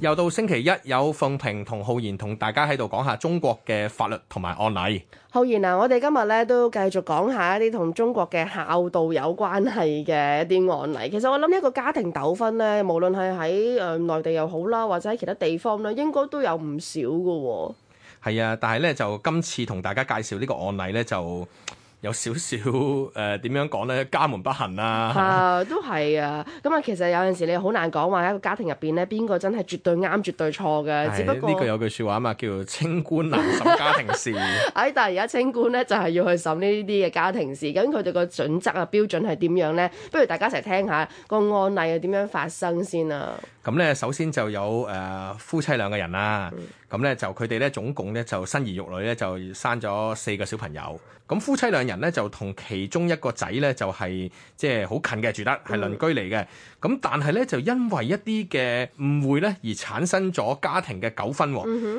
又到星期一，有鳳萍同浩然同大家喺度講下中國嘅法律同埋案例。浩然啊，我哋今日咧都繼續講下一啲同中國嘅孝道有關係嘅一啲案例。其實我諗一個家庭糾紛咧，無論係喺內地又好啦，或者喺其他地方咧，應該都有唔少㗎。係啊，但係咧就今次同大家介紹呢個案例咧就有少少點樣講咧，家門不幸啊。都係啊。咁啊，其實有陣時你好難講話一個家庭入邊咧，邊個真係絕對啱、絕對錯嘅。只不過呢句有句説話啊嘛，叫做清官難審家庭事。但係而家清官咧就係要去審呢啲嘅家庭事，咁佢哋個準則啊、標準係點樣咧？不如大家一齊聽下個案例係點樣發生先啊！咁咧，首先就有夫妻兩個人啦。咁咧就佢哋咧總共咧就生兒育女咧就生咗4個小朋友。咁夫妻兩人咧就同其中一個仔咧就係即係好近嘅住得係鄰居嚟嘅。咁但係咧就因為一啲嘅誤會咧而產生咗家庭嘅糾紛。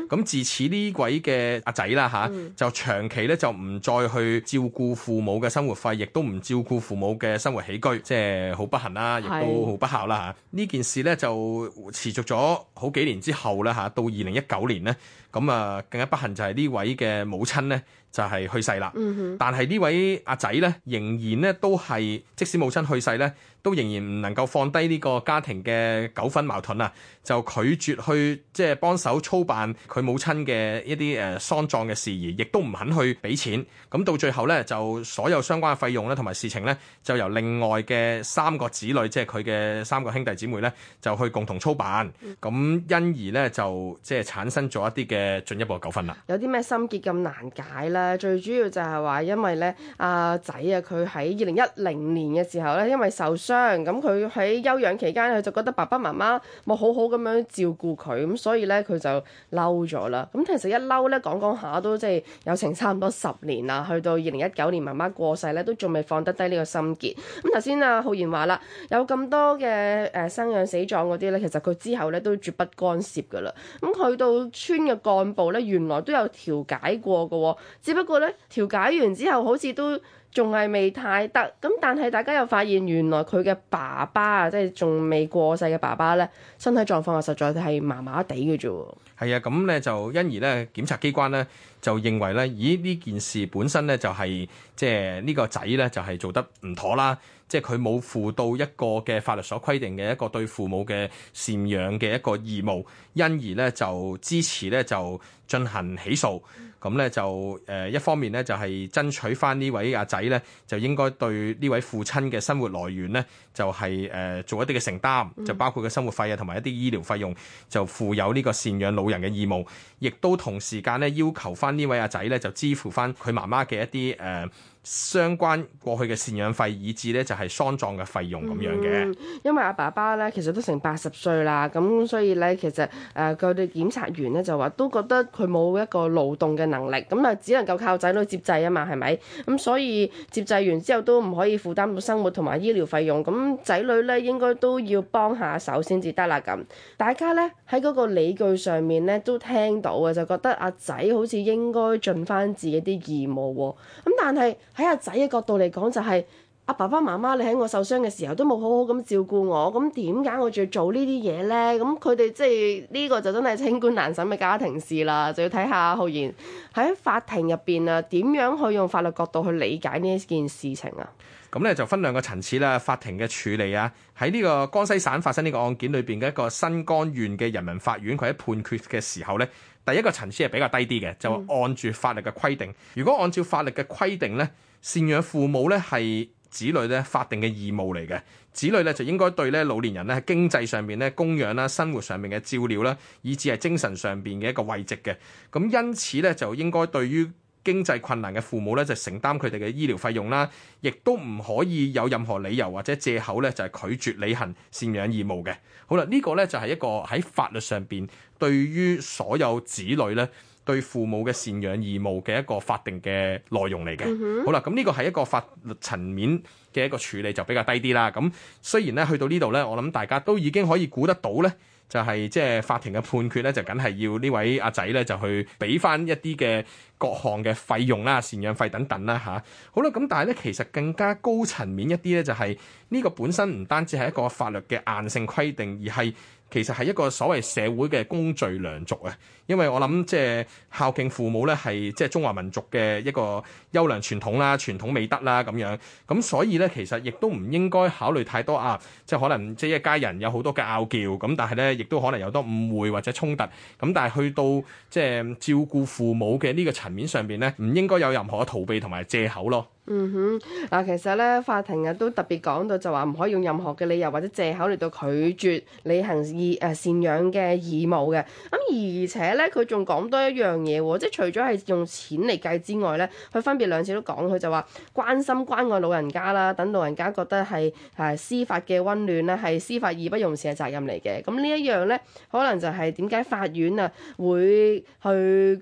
咁自此呢位嘅阿仔啦嚇就長期咧就唔再去照顧父母嘅生活費，亦都唔照顧父母嘅生活起居，即係好不幸啦，亦都好不孝啦嚇。呢件事咧就持續咗好幾年之後啦嚇，到2019年咧，咁啊更加不幸就係呢位嘅母親咧就係去世啦。但係呢位阿仔咧仍然咧都係，即使母親去世咧，都仍然唔能夠放低呢個家庭嘅糾紛矛盾啊，就拒絕去即係幫手操辦佢母親嘅一啲喪葬嘅事宜，亦都唔肯去俾錢。咁到最後咧，就所有相關嘅費用咧同埋事情咧，就由另外嘅3個子女，即係佢嘅3個兄弟姊妹咧，就去共同操辦。咁因而咧就即係產生咗一啲嘅進一步嘅糾紛啦。有啲咩心結咁難解咧？最主要就係話因為咧阿仔啊，佢喺2010年嘅時候咧，因為受傷，咁佢喺休養期間，佢就覺得爸爸媽媽冇好好咁樣照顧佢，咁所以咧佢就嬲咗啦。咁其實一嬲咧講下都即係有成差唔多10年啦，去到2019年媽媽過世咧，都仲未放得低呢個心結。咁頭先浩然話啦，有咁多嘅生養死葬嗰啲咧，其實佢之後咧都絕不干涉噶啦。咁去到村嘅幹部咧，原來都有調解過嘅，只不過咧調解完之後好似都仲係未太得。咁但係大家又發現原來佢嘅爸爸啊，即係仲未過世嘅爸爸咧，身體狀況啊實在係麻麻地嘅啫。係啊，咁咧就因而咧檢察機關咧就認為咧，咦呢件事本身咧就係即係呢個仔咧就係做得唔妥啦，即係佢冇負到一個嘅法律所規定嘅一個對父母嘅贍養嘅一個義務，因而咧就支持咧就進行起訴。咁咧就一方面咧就係爭取翻呢位阿仔咧就應該對呢位父親嘅生活來源咧就係做一啲嘅承擔，就包括嘅生活費啊同埋一啲醫療費用就負有呢個贍養老人嘅義務，亦都同時間咧要求翻呢位阿仔咧就支付翻佢媽媽嘅一啲相關過去嘅贍養費，以至咧就係喪葬嘅費用咁樣嘅。因為阿爸爸咧其實都成80歲啦，咁所以咧其實佢哋檢察員咧就話都覺得佢冇一個勞動嘅能力，咁啊只能夠靠仔女接濟啊嘛，係咪？咁所以接濟完之後都唔可以負擔到生活同埋醫療費用，咁仔女咧應該都要幫下手先至得啦。咁大家咧喺嗰個理據上面咧都聽到嘅，就覺得阿仔好似應該盡翻自己啲義務喎。咁但係喺阿仔嘅角度嚟講，就係阿爸爸媽媽，你喺我受傷嘅時候都冇好好咁照顧我，咁點解我仲要做呢啲嘢呢？咁佢哋即係呢個就真係清官難審嘅家庭事啦，就要睇下浩然喺法庭入邊啊，點樣去用法律角度去理解呢一件事情啊？咁咧就分2個層次啦，法庭嘅處理啊，喺呢個江西省發生呢個案件裏邊嘅一個新江縣嘅人民法院，佢喺判決嘅時候咧，第一個層次係比較低啲嘅，就按住法律嘅規定。如果按照法律嘅規定咧，贍養父母咧係子女咧法定嘅義務嚟嘅，子女咧就應該對咧老年人咧喺經濟上面咧供養啦、生活上面嘅照料啦，以至係精神上邊嘅一個慰藉嘅。咁因此咧就應該對於經濟困難嘅父母咧就承擔佢哋嘅醫療費用啦，亦都唔可以有任何理由或者藉口咧就係拒絕履行贍養義務嘅。好啦，呢個咧就係一個喺法律上邊對於所有子女咧對父母嘅贍養義務嘅一個法定嘅內容嚟嘅。好啦，咁呢個係一個法律層面嘅一個處理就比較低啲啦。咁雖然咧去到呢度咧，我諗大家都已經可以估得到咧。就係即係法庭嘅判決咧，就梗係要呢位阿仔咧就去俾翻一啲嘅各項嘅費用啦、贍養費等等啦嚇。好啦，咁但係咧其實更加高層面一啲咧，就係呢個本身唔單止係一個法律嘅硬性規定，而係其實係一個所謂社會嘅公序良俗啊。因為我諗即係孝敬父母咧，係即係中華民族嘅一個優良傳統啦、傳統美德啦咁樣。咁所以咧，其實亦都唔應該考慮太多啊，即係可能即係一家人有好多嘅拗撬，咁但係咧亦都可能有多誤會或者衝突。咁但係去到即係照顧父母嘅呢個層面上邊咧，唔應該有任何嘅逃避同埋借口咯。嗱，其實咧法庭都特別講到就話唔可以用任何嘅理由或者借口嚟到拒絕履行贍養嘅義務嘅。咁而且咧佢仲講多一樣嘢喎，即係除咗係用錢嚟計之外咧，佢分別兩次都講，佢就話關心關愛老人家啦，等老人家覺得係司法嘅溫暖咧，係司法義不容辭嘅責任嚟嘅。咁呢一樣咧，可能就係點解法院會去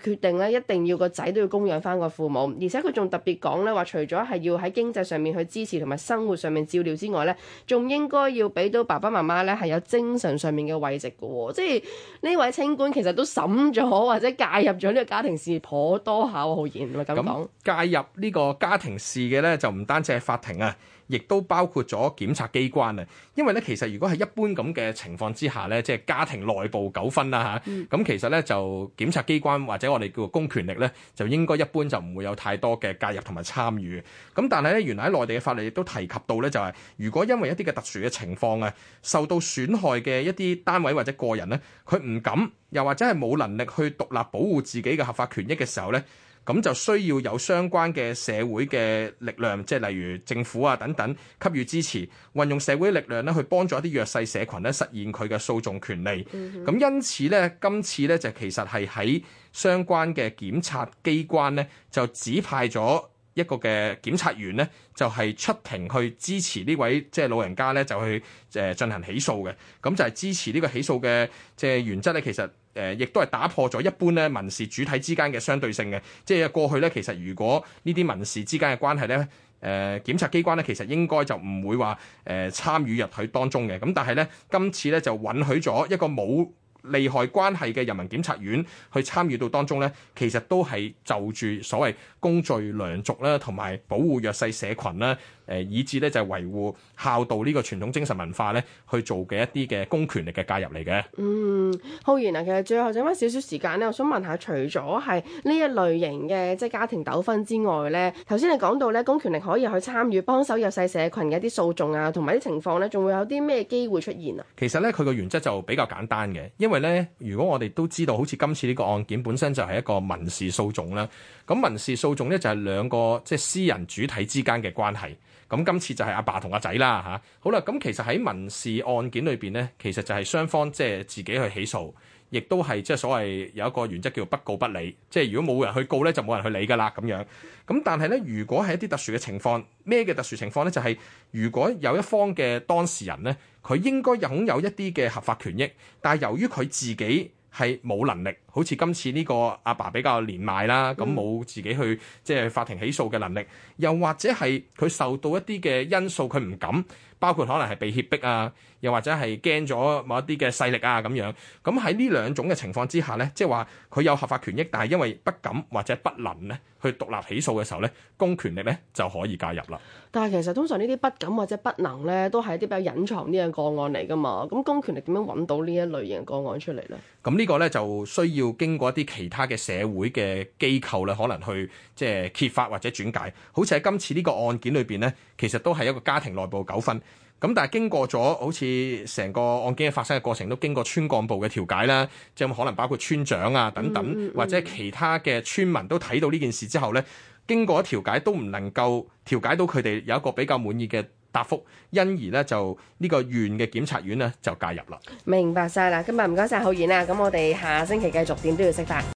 決定咧，一定要個仔都要供養翻個父母，而且佢仲特別講咧話，除咗係要喺經濟上面去支持同埋生活上面照料之外咧，仲應該要俾到爸爸媽媽咧係有精神上面嘅慰藉嘅喎。即係呢位清官其實都審咗或者介入咗呢個家庭事頗多下喎，浩然係咪咁講？介入呢個家庭事嘅咧，就唔單止係法庭啊，亦都包括咗檢察機關啊。因為咧，其實如果係一般咁嘅情況之下咧，即係家庭內部糾紛啦嚇，咁其實咧就檢察機關或者我哋叫做公權力咧，就應該一般就唔會有太多嘅介入同埋參與。咁但係咧，原來喺內地嘅法律亦都提及到咧，就係如果因為一啲嘅特殊嘅情況啊，受到損害嘅一啲單位或者個人咧，佢唔敢又或者係冇能力去獨立保護自己嘅合法權益嘅時候咧，咁就需要有相關嘅社會嘅力量，即係例如政府啊等等給予支持，運用社會力量咧去幫助一啲弱勢社群咧實現佢嘅訴訟權利。咁因此咧，今次咧就其實係喺相關嘅檢察機關咧就指派咗一個嘅檢察員咧，就係出庭去支持呢位即係老人家咧，就去進行起訴嘅。咁就係支持呢個起訴嘅即係原則咧，其實亦都係打破咗一般咧民事主體之間嘅相對性嘅。即係過去咧，其實如果呢啲民事之間嘅關係咧，檢察機關咧其實應該就唔會話參與入去當中嘅。咁但係咧，今次咧就允許咗一個冇利害關係嘅人民檢察院去參與到當中咧，其實都係就住所謂公序良俗啦，同埋保護弱勢社群啦，以至咧就係維護孝道呢個傳統精神文化咧，去做嘅一啲嘅公權力嘅介入嚟嘅。浩然啊，其實最後剩翻少少時間咧，我想問下，除咗係呢一類型嘅即係家庭糾紛之外咧，頭先你講到咧公權力可以去參與幫手弱勢社群嘅一啲訴訟啊，同埋啲情況咧，仲會有啲咩機會出現啊？其實咧，佢個原則就比較簡單嘅，因為咧，如果我哋都知道，好似今次呢個案件本身就係一個民事訴訟啦，咁民事訴訟咧就係兩個即係私人主體之間嘅關係。咁今次就係阿爸同阿仔啦嚇。好啦，咁其實喺民事案件裏邊咧，其實就係雙方即係自己去起訴，亦都係即係所謂有一個原則叫做不告不理，即係如果冇人去告咧，就冇人去理㗎啦咁樣。咁但係咧，如果係一啲特殊嘅情況，咩嘅特殊情況咧？就係如果有一方嘅當事人咧，佢應該擁有一啲嘅合法權益，但係由於佢自己係冇能力，好似今次呢個阿爸比較年邁啦，咁冇自己去即係法庭起訴嘅能力，又或者係佢受到一啲嘅因素佢唔敢，包括可能係被脅迫啊，又或者係驚咗某一啲嘅勢力啊咁樣。咁喺呢兩種嘅情況之下咧，即係話佢有合法權益，但係因為不敢或者不能咧去獨立起訴嘅時候咧，公權力咧就可以介入啦。但係其實通常呢啲不敢或者不能咧，都係一啲比較隱藏啲嘅個案嚟㗎嘛。咁公權力點樣揾到呢一類型嘅個案出嚟咧？咁呢個咧就需要經過一啲其他嘅社會嘅機構咧，可能去即係揭發或者轉介。好似喺今次呢個案件裏邊咧，其實都係一個家庭內部糾紛。咁但係經過咗好似成個案件嘅發生嘅過程，都經過村幹部嘅調解啦，即係可能包括村長啊等等，或者其他嘅村民都睇到呢件事之後咧，經過調解都唔能夠調解到佢哋有一個比較滿意嘅答覆，因而咧就呢個縣嘅檢察院咧就介入啦。明白晒啦，今日唔該晒浩然啊，咁我哋下星期繼續點都要識法。